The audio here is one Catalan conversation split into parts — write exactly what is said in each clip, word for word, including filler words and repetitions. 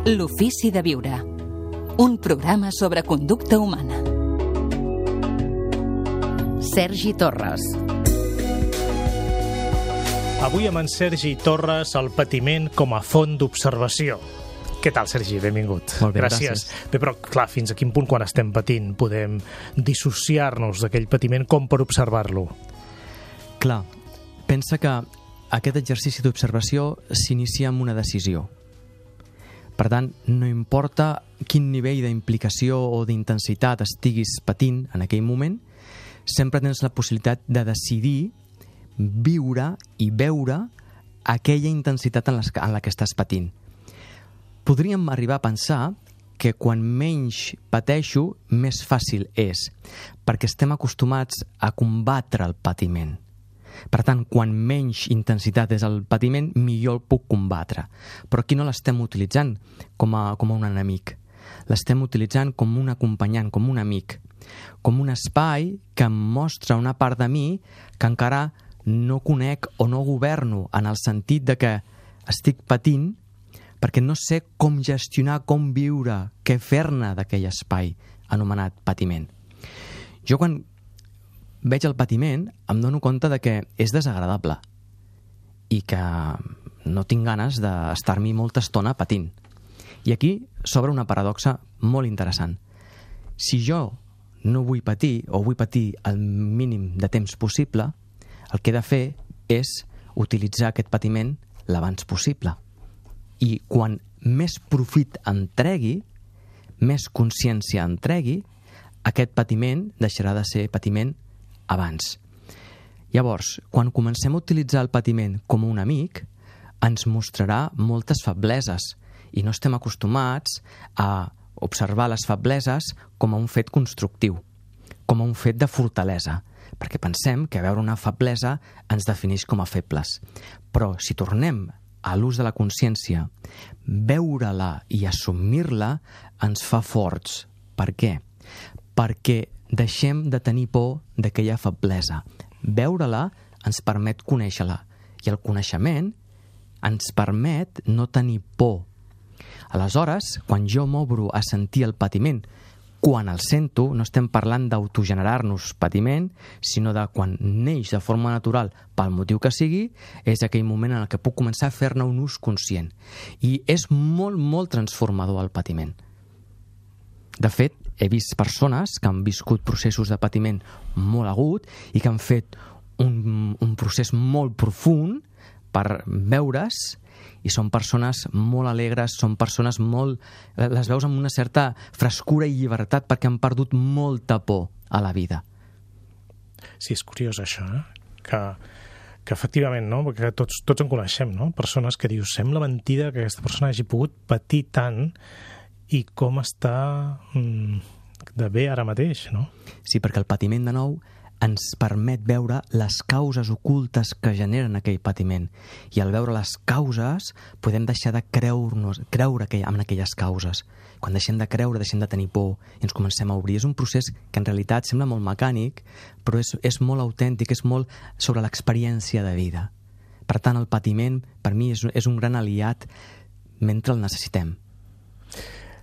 L'ofici de viure. Un programa sobre conducta humana. Sergi Torres. Avui amb en Sergi Torres, el patiment com a font d'observació. Què tal, Sergi? Benvingut. Molt bé, gràcies. gràcies. Bé, però, clar, fins a quin punt, quan estem patint, podem dissociar-nos d'aquell patiment com per observar-lo? Clar, pensa que aquest exercici d'observació s'inicia amb una decisió. Per tant, no importa quin nivell d'implicació o d'intensitat estiguis patint en aquell moment, sempre tens la possibilitat de decidir viure i veure aquella intensitat en la que estàs patint. Podríem arribar a pensar que quan menys pateixo, més fàcil és, perquè estem acostumats a combatre el patiment. Per tant, quan menys intensitat és el patiment, millor el puc combatre. Però aquí no l'estem utilitzant com a, com a un enemic. L'estem utilitzant com un acompanyant, com un amic, com un espai que em mostra una part de mi que encara no conec o no governo, en el sentit de que estic patint perquè no sé com gestionar, com viure, què fer-ne d'aquell espai anomenat patiment. Jo quan veig el patiment em dono compte de que és desagradable i que no tinc ganes d'estar-m'hi molta estona patint. I aquí s'obre una paradoxa molt interessant. Si jo no vull patir o vull patir el mínim de temps possible, el que he de fer és utilitzar aquest patiment l'abans possible. I quan més profit en tregui, més consciència en tregui, aquest patiment deixarà de ser patiment abans. Llavors, quan comencem a utilitzar el patiment com un amic, ens mostrarà moltes febleses i no estem acostumats a observar les febleses com a un fet constructiu, com a un fet de fortalesa, perquè pensem que veure una feblesa ens defineix com a febles. Però si tornem a l'ús de la consciència, veure-la i assumir-la ens fa forts. Per què? Perquè deixem de tenir por d'aquella feblesa. Veure-la ens permet conèixer-la i el coneixement ens permet no tenir por. Aleshores, quan jo m'obro a sentir el patiment, quan el sento, no estem parlant d'autogenerar-nos patiment, sinó de quan neix de forma natural pel motiu que sigui, és aquell moment en què puc començar a fer-ne un ús conscient. I és molt, molt transformador el patiment. De fet, he vist persones que han viscut processos de patiment molt agut i que han fet un, un procés molt profund per veure's, i són persones molt alegres, són persones molt... les veus amb una certa frescura i llibertat perquè han perdut molta por a la vida. Sí, és curiós això, eh? Que, que efectivament, no? Perquè tots, tots en coneixem, no? Persones que dius, sembla mentida que aquesta persona hagi pogut patir tant i com està mm, de bé ara mateix, no? Sí, perquè el patiment, de nou, ens permet veure les causes ocultes que generen aquell patiment. I al veure les causes podem deixar de creure-nos, creure en aquelles causes. Quan deixem de creure, deixem de tenir por i ens comencem a obrir. És un procés que en realitat sembla molt mecànic, però és, és molt autèntic, és molt sobre l'experiència de vida. Per tant, el patiment, per mi, és, és un gran aliat mentre el necessitem.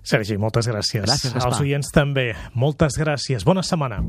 Sergi, moltes gràcies. Gràcies, Gaspar. Als oients també. Moltes gràcies. Bona setmana.